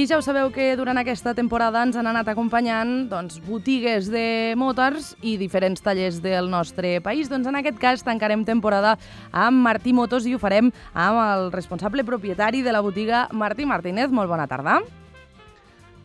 I ja ho sabeu que durant aquesta temporada ens han anat acompanyant botigues de motors i diferents tallers del nostre país. Doncs en aquest cas tancarem temporada amb Martí Motos i ho farem amb el responsable propietari de la botiga, Martí Martínez. Molt bona tarda.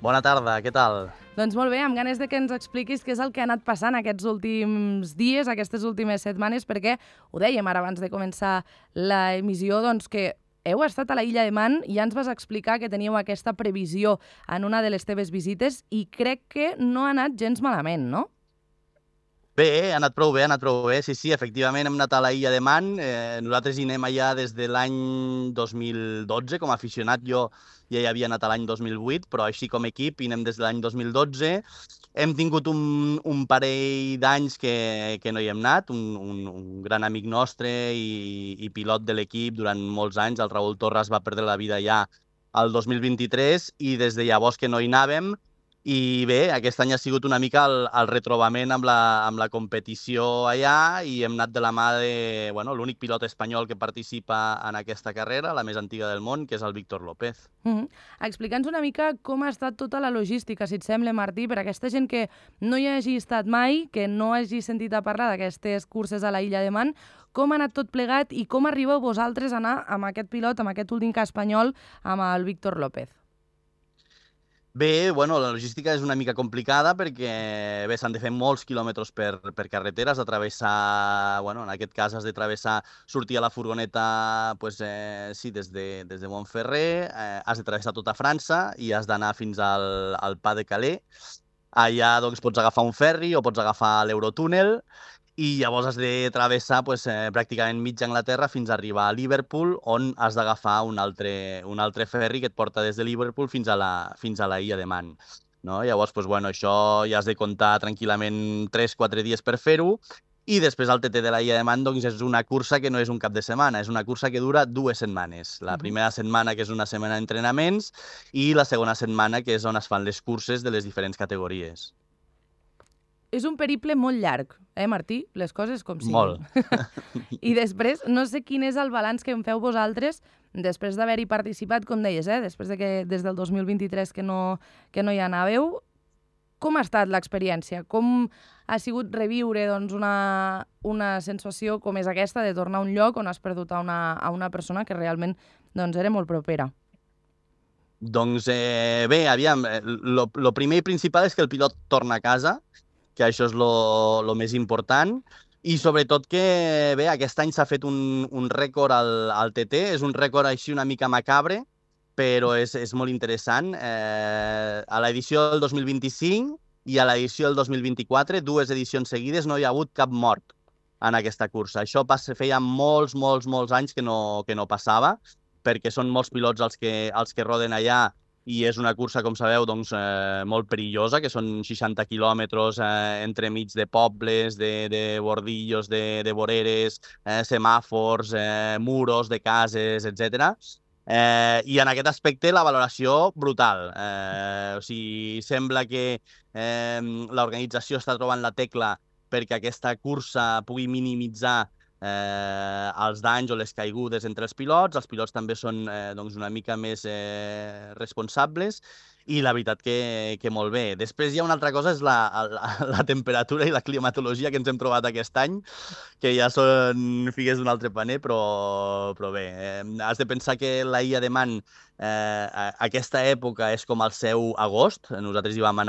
Bona tarda, què tal? Doncs molt bé, amb ganes de que ens expliquis què és el que ha anat passant aquests últims dies, aquestes últimes setmanes, perquè ho dèiem ara abans de començar l'emissió, que heu estat a la Illa de Man i ja ens vas explicar que teníeu aquesta previsió en una de les teves visites i crec que no ha anat gens malament, no? Bé, ha anat prou bé, Sí, efectivament hem anat a la Illa de Man. Nosaltres hi anem allà des de l'any 2012, com a aficionat jo ja hi havia anat a l'any 2008, però així com a equip hi anem des de l'any 2012. Hem tingut un parell d'anys que no hi hem anat, un gran amic nostre i pilot de l'equip durant molts anys, el Raül Torres, va perdre la vida ja el 2023 i des de llavors que no hi anàvem. I bé, aquest any ha sigut una mica el retrobament amb la competició allà i hem anat de la mà de l'únic pilot espanyol que participa en aquesta carrera, la més antiga del món, que és el Víctor López. Explica'ns una mica com ha estat tota la logística, si et sembla, Martí, per a aquesta gent que no hi hagi estat mai, que no hagi sentit a parlar d'aquestes curses a la Illa de Man. Com ha anat tot plegat i com arribeu vosaltres a anar amb aquest pilot, amb aquest últim cas espanyol, amb el Víctor López? Bé, la logística és una mica complicada perquè s'han de fer molts quilòmetres per carretera, has de travessar, en aquest cas has de travessar, sortir a la furgoneta des de Montferrer, has de travessar tota França i has d'anar fins al Pas de Calais. Allà pots agafar un ferri o pots agafar l'Eurotúnel i llavors has de travessar pràcticament mitja Anglaterra fins a arribar a Liverpool, on has d'agafar un altre ferri que et porta des de Liverpool fins a la Illa de Man. No? Llavors, això ja has de comptar tranquil·lament 3-4 dies per fer-ho. I després el TT de la Illa de Man és una cursa que no és un cap de setmana, és una cursa que dura 2 setmanes. La primera setmana, que és una setmana d'entrenaments, i la segona setmana, que és on es fan les curses de les diferents categories. És un periple molt llarg, Martí? Les coses com siguin. Molt. I després, no sé quin és el balanç que en feu vosaltres després d'haver-hi participat, com deies, després de que des del 2023 que no hi anàveu. Com ha estat l'experiència? Com ha sigut reviure una sensació com és aquesta de tornar a un lloc on has perdut a una persona que realment era molt propera? Bé, aviam, lo primer i principal és que el pilot torna a casa, que això és lo més important, i sobretot que, bé, aquest any s'ha fet un rècord al TT, és un rècord així una mica macabre, però és molt interessant. A l'edició del 2025 i a l'edició del 2024, 2 edicions seguides, no hi ha hagut cap mort en aquesta cursa. Això feia molts anys que no passava, perquè són molts pilots els que roden allà, i és una cursa, com sabeu, molt perillosa, que són 60 quilòmetres entremig de pobles, de bordillos, de voreres, semàfors, muros de cases, etc. I en aquest aspecte la valoració brutal. Sembla que l'organització està trobant la tecla perquè aquesta cursa pugui minimitzar els danys o les caigudes entre els pilots també són una mica més responsables, i la veritat que molt bé. Després hi ha una altra cosa, és la temperatura i la climatologia que ens hem trobat aquest any, que ja són figues d'un altre paner, però bé, has de pensar que la Illa de Man aquesta època és com el seu agost. Nosaltres hi vam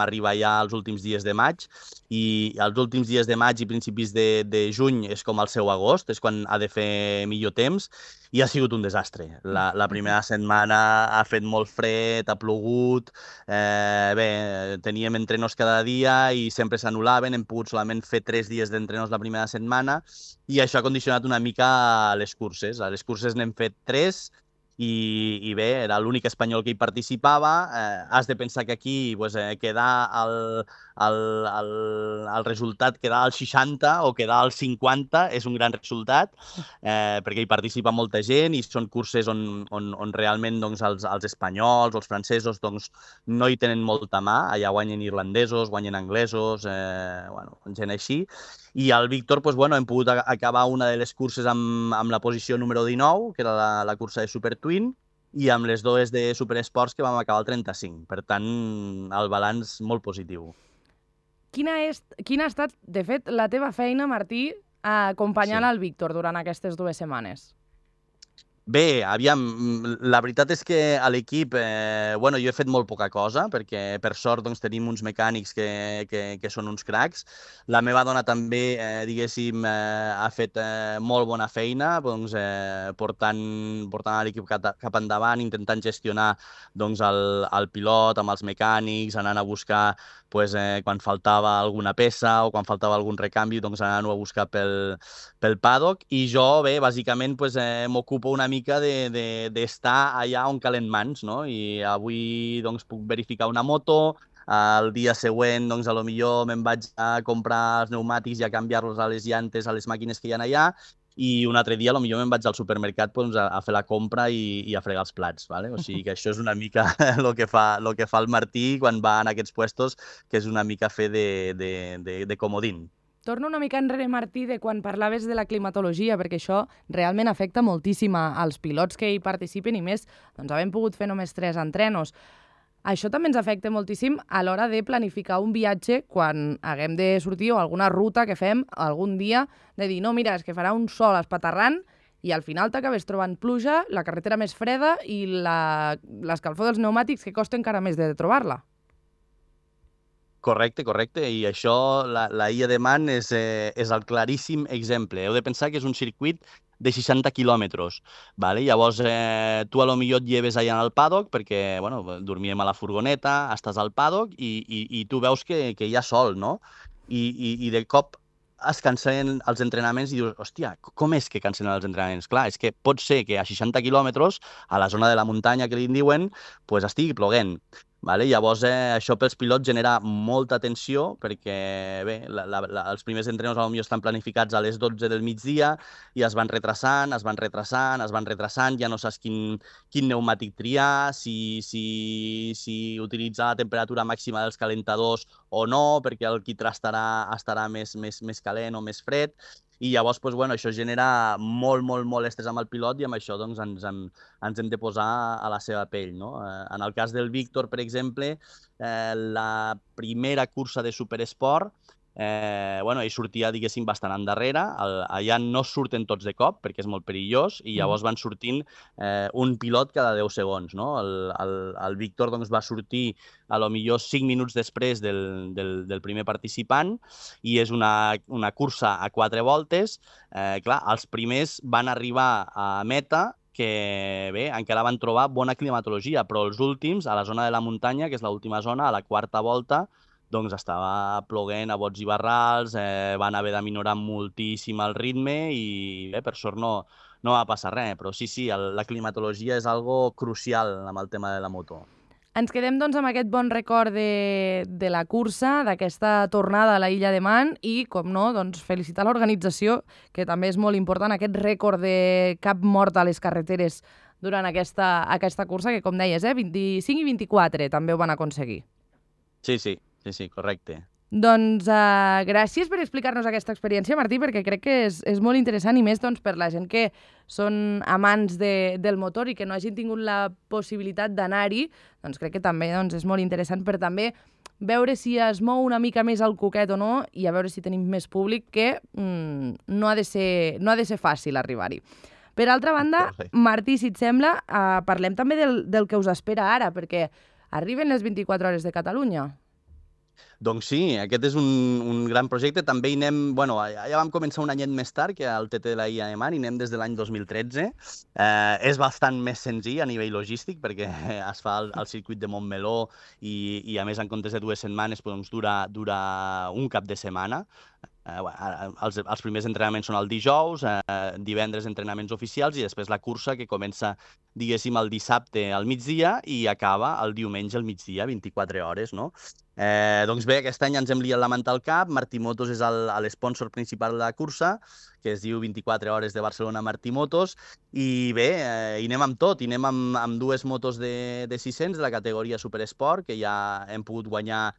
arribar ja als últims dies de maig, i els últims dies de maig i principis de juny és com el seu agost, és quan ha de fer millor temps, i ha sigut un desastre. La primera setmana ha fet molt fred, ha plogut, teníem entrenos cada dia i sempre s'anul·laven, hem pogut solament fer 3 dies d'entrenos la primera setmana, i això ha condicionat una mica les curses. A les curses n'hem fet 3, i bé, era l'únic espanyol que hi participava. Has de pensar que aquí quedar el resultat, quedar al 60 o quedar al 50 és un gran resultat, perquè hi participa molta gent i són curses on realment els espanyols o els francesos no hi tenen molta mà. Allà guanyen irlandesos, guanyen anglesos, gent així. I el Víctor, hem pogut acabar una de les curses amb la posició número 19, que era la cursa de Super Twin, i amb les dues de Superesports que vam acabar el 35. Per tant, el balanç molt positiu. Quina ha estat, de fet, la teva feina, Martí, acompanyant el Víctor durant aquestes 2 setmanes? Bé, aviam, la veritat és que a l'equip, bueno, jo he fet molt poca cosa, perquè per sort doncs, tenim uns mecànics que són uns cracs. La meva dona també, diguéssim, ha fet molt bona feina, doncs, portant l'equip cap endavant, intentant gestionar doncs, el pilot amb els mecànics, anant a buscar pues, quan faltava alguna peça o quan faltava algun recanvi, doncs anant-ho a buscar pel paddock. I jo, bé, bàsicament pues, m'ocupo una mica d'estar allà on calen mans, no? I avui doncs, puc verificar una moto, el dia següent, doncs, a lo millor me'n vaig a comprar els pneumàtics i a canviar-los a les llantes, a les màquines que hi ha allà, i un altre dia, a lo millor me'n vaig al supermercat doncs, a fer la compra i a fregar els plats. ¿vale? O sigui que això és una mica el que fa el Martí quan va en aquests puestos, que és una mica fer de comodín. Torno una mica enrere, Martí, de quan parlaves de la climatologia, perquè això realment afecta moltíssim als pilots que hi participen i més, doncs havem pogut fer només 3 entrenos. Això també ens afecta moltíssim a l'hora de planificar un viatge quan haguem de sortir o alguna ruta que fem algun dia, de dir, no, mira, és que farà un sol espaterrant i al final t'acabes trobant pluja, la carretera més freda i l'escalfor dels pneumàtics que costa encara més de trobar-la. Correcte. I això, la Illa de Man és el claríssim exemple. Heu de pensar que és un circuit de 60 quilòmetres. ¿vale? Llavors, tu a lo millor et lleves allà al paddock perquè, bueno, dormíem a la furgoneta, estàs al paddock i tu veus que hi ha sol, no? I de cop es cancel·len els entrenaments i dius, hòstia, com és que cancel·len els entrenaments? Clar, és que pot ser que a 60 quilòmetres, a la zona de la muntanya que li diuen, pues estigui ploguent. Vale? Llavors, això pels pilots genera molta tensió perquè bé, els primers entrenos potser estan planificats a les 12 del migdia i es van retrasant, ja no saps quin pneumàtic triar, si utilitzar la temperatura màxima dels calentadors o no, perquè el quitrà estarà més calent o més fred. I llavors, doncs, bueno, això genera molt estrès amb el pilot i amb això doncs, ens hem de posar a la seva pell. No? En el cas del Víctor, per exemple, la primera cursa de Superesport, bueno, ell sortia, diguéssim, bastant endarrere. Allà no surten tots de cop, perquè és molt perillós, i llavors van sortint un pilot cada 10 segons. No? El Víctor doncs, va sortir a lo millor 5 minuts després del primer participant, i és una cursa a 4 voltes. Clar, els primers van arribar a meta que bé, encara van trobar bona climatologia, però els últims, a la zona de la muntanya, que és l'última zona, a la quarta volta, doncs estava ploguent a bots i barrals, van haver de minorar moltíssim el ritme i bé, per sort no va passar res, però sí, la climatologia és algo crucial amb el tema de la moto. Ens quedem doncs amb aquest bon record de la cursa, d'aquesta tornada a la Illa de Man i, com no, doncs felicitar l'organització, que també és molt important, aquest rècord de cap mort a les carreteres durant aquesta cursa, que com deies, 25 i 24 també ho van aconseguir. Sí, correcte. Doncs gràcies per explicar-nos aquesta experiència, Martí, perquè crec que és molt interessant i més doncs, per la gent que són amants del motor i que no hagin tingut la possibilitat d'anar-hi, doncs crec que també doncs, és molt interessant per també veure si es mou una mica més el coquet o no i a veure si tenim més públic, que no ha de ser fàcil arribar-hi. Per altra banda, Martí, si et sembla, parlem també del que us espera ara, perquè arriben les 24 hores de Catalunya. Doncs sí, aquest és un gran projecte. També hi anem, bueno, ja vam començar un anyet més tard que al TT de la Illa de Man, i anem des de l'any 2013. És bastant més senzill a nivell logístic perquè es fa al circuit de Montmeló i a més en comptes de 2 setmanes doncs, dura un cap de setmana. Els primers entrenaments són el dijous, divendres entrenaments oficials i després la cursa que comença, diguéssim, el dissabte al migdia i acaba el diumenge al migdia, 24 hores, no? Doncs bé, aquest any ens hem liat la manta al cap. Martí Motos és l'espònsor principal de la cursa, que es diu 24 hores de Barcelona Martí Motos, i bé, hi anem amb tot. Hi anem amb 2 motos de 600 de la categoria Superesport, que ja hem pogut guanyar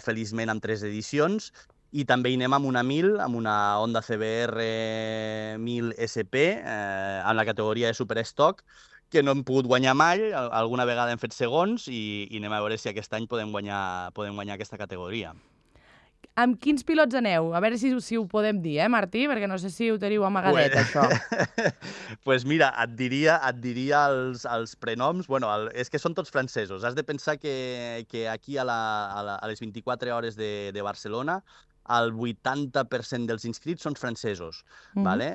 feliçment amb 3 edicions, i també hi anem amb una 1000, amb una Honda CBR 1000 SP, en la categoria de Superstock, que no hem pogut guanyar mai, alguna vegada hem fet segons i anem a veure si aquest any podem guanyar aquesta categoria. Amb quins pilots aneu? A veure si ho podem dir, Martí? Perquè no sé si ho teniu amagadet, això. Pues mira, et diria els prenoms. Bueno, és que són tots francesos. Has de pensar que aquí a les 24 hores de Barcelona el 80% dels inscrits són francesos. Vale?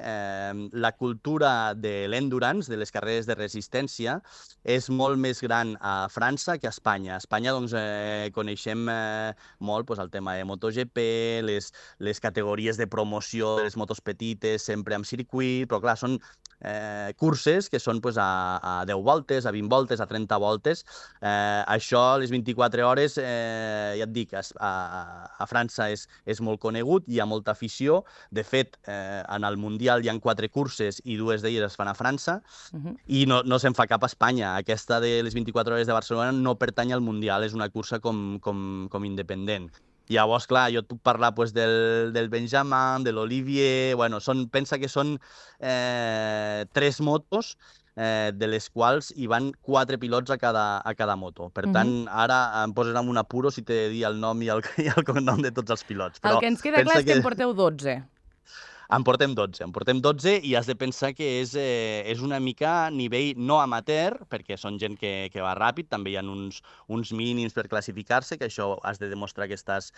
La cultura de l'endurance, de les carreres de resistència, és molt més gran a França que a Espanya. A Espanya doncs, coneixem molt el tema de MotoGP, les categories de promoció de les motos petites, sempre amb circuit, però clar, són curses que són a 10 voltes, a 20 voltes, a 30 voltes. Això, les 24 hores, ja et dic, a França és molt conegut, hi ha molta afició. De fet, en el Mundial hi ha 4 curses i 2 d'elles es fan a França, i no se'n fa cap a Espanya. Aquesta de les 24 hores de Barcelona no pertany al Mundial, és una cursa com independent. Llavors, clar, jo et puc parlar del Benjamin, de l'Olivier... Bueno, pensa que són 3 motos, de les quals hi van 4 pilots a cada moto. Per tant, ara em poses en un apuro si t'he de dir el nom i el cognom de tots els pilots. Però el que ens queda clar és que en porteu 12. En portem 12 i has de pensar que és una mica a nivell no amateur, perquè són gent que va ràpid, també hi ha uns mínims per classificar-se, que això has de demostrar que estàs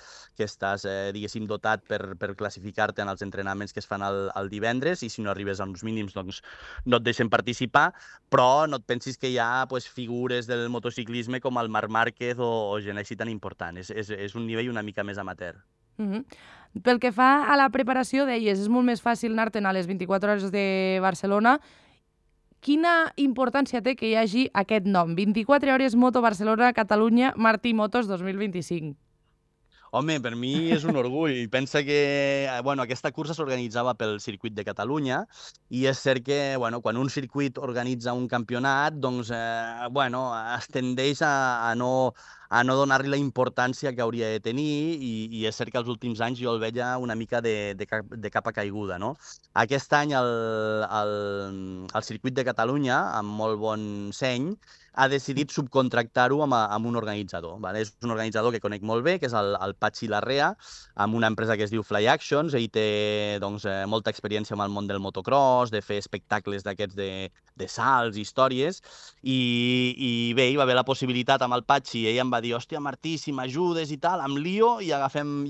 diguéssim, dotat per classificar-te en els entrenaments que es fan el divendres, i si no arribes a uns mínims doncs no et deixen participar, però no et pensis que hi ha figures del motociclisme com el Marc Márquez o gent així tan important. És un nivell una mica més amateur. Pel que fa a la preparació, deies, és molt més fàcil anar-te'n a les 24 hores de Barcelona. Quina importància té que hi hagi aquest nom? 24 hores Moto Barcelona Catalunya Martí Motos 2025. Home, per mi és un orgull. Pensa que aquesta cursa s'organitzava pel Circuit de Catalunya, i és cert que quan un circuit organitza un campionat, doncs es tendeix a no donar-li la importància que hauria de tenir, i és cert que els últims anys jo el veia una mica de capa caiguda, no? Aquest any el Circuit de Catalunya, amb molt bon seny, ha decidit subcontractar-ho amb un organitzador. Vale? És un organitzador que conec molt bé, que és el Patxi Larrea, amb una empresa que es diu Fly Actions. Ell té molta experiència amb el món del motocross, de fer espectacles d'aquests de salts, històries, i bé, hi va haver la possibilitat amb el Patxi, ell em va dir, hòstia, Martí, si m'ajudes i tal, em lio i agafem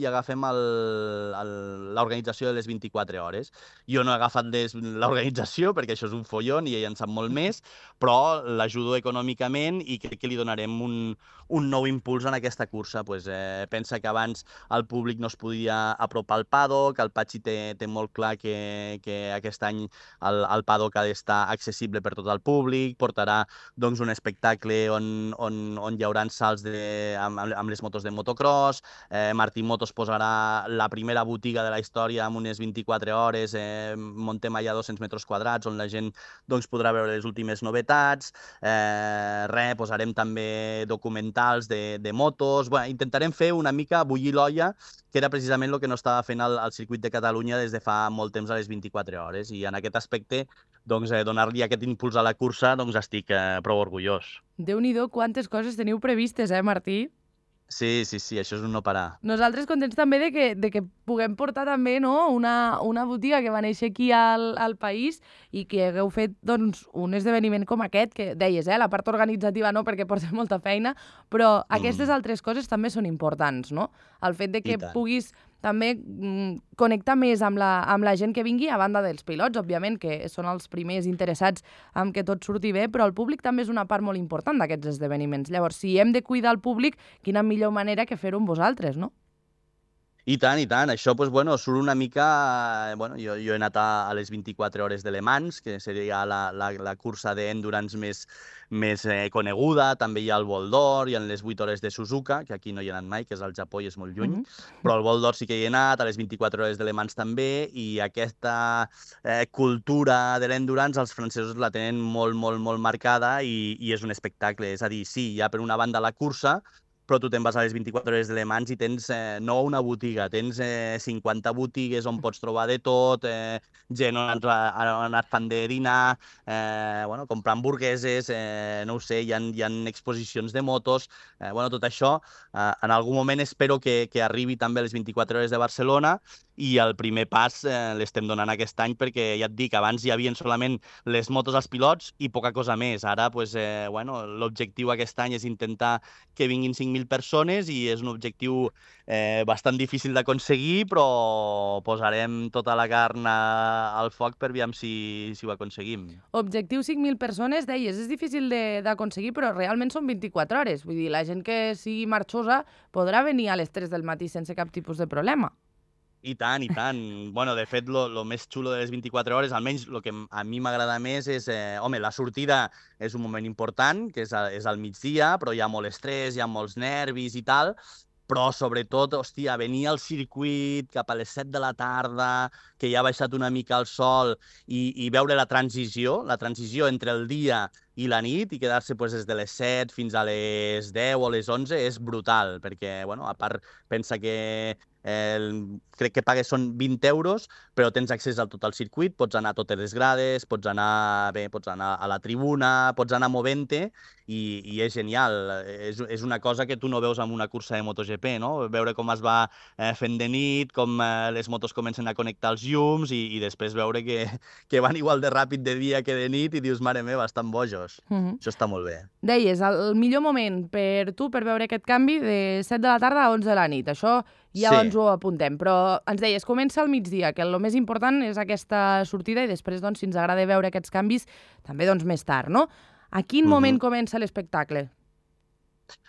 l'organització de les 24 hores. Jo no he agafat l'organització perquè això és un follon i ell en sap molt més, però l'ajudo econòmicament i crec que li donarem un nou impuls en aquesta cursa. Pensa que abans el públic no es podia apropar al paddock, el Patxi té molt clar que aquest any el paddock ha d'estar accessible per tot el públic, portarà un espectacle on hi haurà salts amb les motos de motocross, Martí Motos posarà la primera botiga de la història amb unes 24 hores, montem allà 200 metres quadrats on la gent podrà veure les últimes novetats, posarem també documentals de motos. Intentarem fer una mica bullir l'olla, que era precisament el que no estava fent el Circuit de Catalunya des de fa molt temps a les 24 hores, i en aquest aspecte donar-li aquest impuls a la cursa estic prou orgullós. Déu-n'hi-do, quantes coses teniu previstes, Martí? Sí, això és un no parar. Nosaltres contents també de que puguem portar també una botiga que va néixer aquí al país i que hagueu fet un esdeveniment com aquest, que deies, la part organitzativa no, perquè porta molta feina, però aquestes altres coses també són importants, no? El fet de que puguis també connectar més amb la gent que vingui, a banda dels pilots, òbviament, que són els primers interessats en que tot surti bé, però el públic també és una part molt important d'aquests esdeveniments. Llavors, si hem de cuidar el públic, quina millor manera que fer-ho amb vosaltres, no? I tant. Això, surt una mica... Jo he anat a les 24 hores de Le Mans, que seria la cursa d'endurance més coneguda. També hi ha el Vol d'Or, hi ha les 8 hores de Suzuka, que aquí no hi he anat mai, que és al Japó i és molt lluny. Però al Vol d'Or sí que hi he anat, a les 24 hores de Le Mans també, i aquesta cultura de l'endurance els francesos la tenen molt, molt, molt marcada, i és un espectacle. És a dir, sí, hi ha per una banda la cursa, però tu te'n vas a les 24 hores de Le Mans i tens no una botiga, tens 50 botigues on pots trobar de tot, gent on han anat fan de dinar, comprar hamburgueses, no ho sé, hi ha exposicions de motos, tot això. En algun moment espero que arribi també a les 24 hores de Barcelona i el primer pas l'estem donant aquest any perquè, ja et dic, abans hi havia solament les motos als pilots i poca cosa més. Ara, l'objectiu aquest any és intentar que vinguin 5.000 persones i és un objectiu bastant difícil d'aconseguir, però posarem tota la carn al foc per veure si ho aconseguim. Objectiu 5.000 persones, deies, és difícil d'aconseguir, però realment són 24 hores. Vull dir, la gent que sigui marxosa podrà venir a les 3 del matí sense cap tipus de problema. I tant, i tant. De fet, lo més xulo de les 24 hores, almenys el que a mi m'agrada més és... la sortida és un moment important, que és al migdia, però hi ha molt estrès, hi ha molts nervis i tal, però sobretot, hòstia, venir al circuit cap a les 7 de la tarda, que ja ha baixat una mica el sol, i veure la transició entre el dia i la nit, i quedar-se des de les 7 fins a les 10 o les 11 és brutal, perquè, a part, pensa que crec que pagues són 20 euros, però tens accés a tot el circuit, pots anar a totes les grades, pots anar a la tribuna, pots anar movent-te, i és genial. És una cosa que tu no veus en una cursa de MotoGP, no? Veure com es va fent de nit, com les motos comencen a connectar els llums, i després veure que van igual de ràpid de dia que de nit, i dius, mare meva, estan bojos. Això està molt bé. Deies, el millor moment per tu per veure aquest canvi de 7 de la tarda a 11 de la nit. Això ja ens ho apuntem, però ens deies, comença al migdia, que el més important és aquesta sortida i després, si ens agrada veure aquests canvis, també més tard, no? A quin moment comença l'espectacle?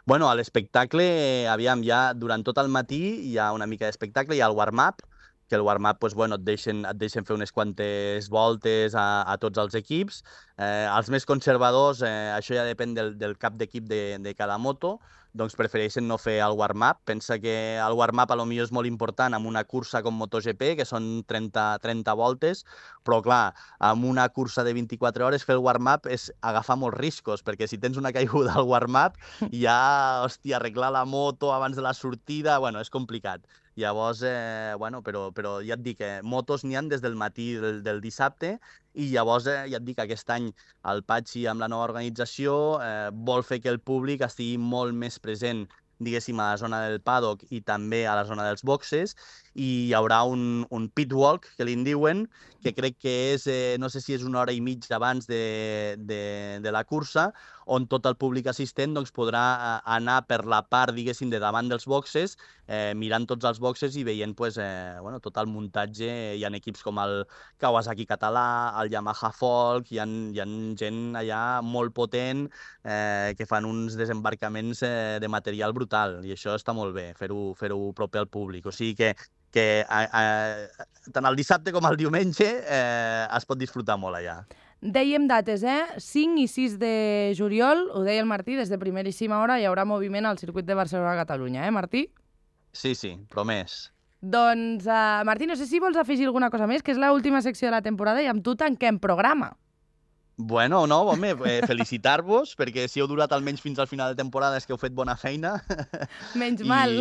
A l'espectacle, aviam, ja durant tot el matí hi ha una mica d'espectacle, hi ha el warm-up, que el warm-up et deixen fer unes quantes voltes a tots els equips. Els més conservadors, això ja depèn del cap d'equip de cada moto, doncs prefereixen no fer el warm-up. Pensa que el warm-up potser és molt important en una cursa com MotoGP, que són 30 voltes, però clar, en una cursa de 24 hores fer el warm-up és agafar molts riscos, perquè si tens una caiguda al warm-up, ja, arreglar la moto abans de la sortida, és complicat. Llavors, però ja et dic, motos n'hi ha des del matí del dissabte, i llavors, ja et dic, aquest any el Patxi, amb la nova organització, vol fer que el públic estigui molt més present, diguéssim, a la zona del paddock i també a la zona dels boxes, i hi haurà un pit walk, que li en diuen, que crec que és, no sé si és una hora i mitja abans de la cursa, on tot el públic assistent podrà anar per la part, diguéssim, de davant dels boxes, mirant tots els boxes i veient tot el muntatge. Hi ha equips com el Kawasaki català, el Yamaha Folk, hi ha gent allà molt potent que fan uns desembarcaments de material brutal, i això està molt bé, fer-ho proper al públic. O sigui que tant el dissabte com el diumenge es pot disfrutar molt allà. Dèiem dates, 5 i 6 de juliol, ho deia el Martí, des de primeríssima hora hi haurà moviment al circuit de Barcelona-Catalunya, Martí? Sí, promès. Doncs, Martí, no sé si vols afegir alguna cosa més, que és l'última secció de la temporada i amb tu tanquem programa. Felicitar-vos, perquè si heu durat almenys fins al final de temporada és que heu fet bona feina. Menys mal.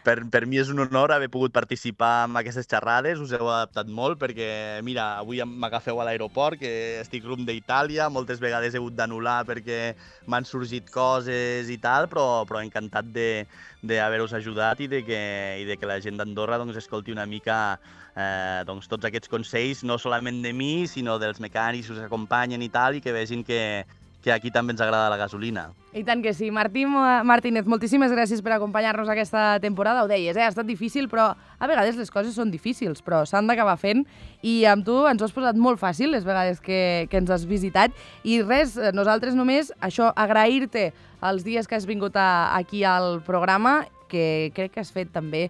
Per mi és un honor haver pogut participar en aquestes xerrades, us heu adaptat molt, perquè, mira, avui m'agafeu a l'aeroport, que estic rumb d'Itàlia, moltes vegades he hagut d'anul·lar perquè m'han sorgit coses i tal, però encantat d'haver-vos ajudat i de que la gent d'Andorra escolti una mica tots aquests consells, no solament de mi, sinó dels mecànics que us acompanyen i tal, i que vegin que aquí també ens agrada la gasolina. I tant que sí. Martí Martínez, moltíssimes gràcies per acompanyar-nos aquesta temporada. Ho deies, ha estat difícil, però a vegades les coses són difícils, però s'han d'acabar fent, i amb tu ens ho has posat molt fàcil les vegades que ens has visitat. I res, nosaltres només, això, agrair-te els dies que has vingut aquí al programa, que crec que has fet també,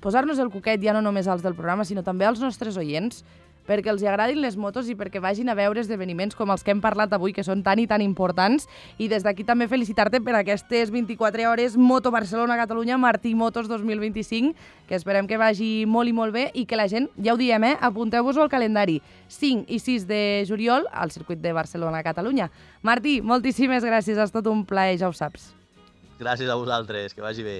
posar-nos el coquet ja no només als del programa, sinó també als nostres oients, perquè els agradin les motos i perquè vagin a veure esdeveniments com els que hem parlat avui, que són tan i tan importants. I des d'aquí també felicitar-te per aquestes 24 hores Moto Barcelona-Catalunya Martí Motos 2025, que esperem que vagi molt i molt bé i que la gent, ja ho diem, apunteu-vos-ho al calendari, 5 i 6 de juliol al circuit de Barcelona-Catalunya. Martí, moltíssimes gràcies, ha estat un plaer, ja ho saps. Gràcies a vosaltres, que vagi bé.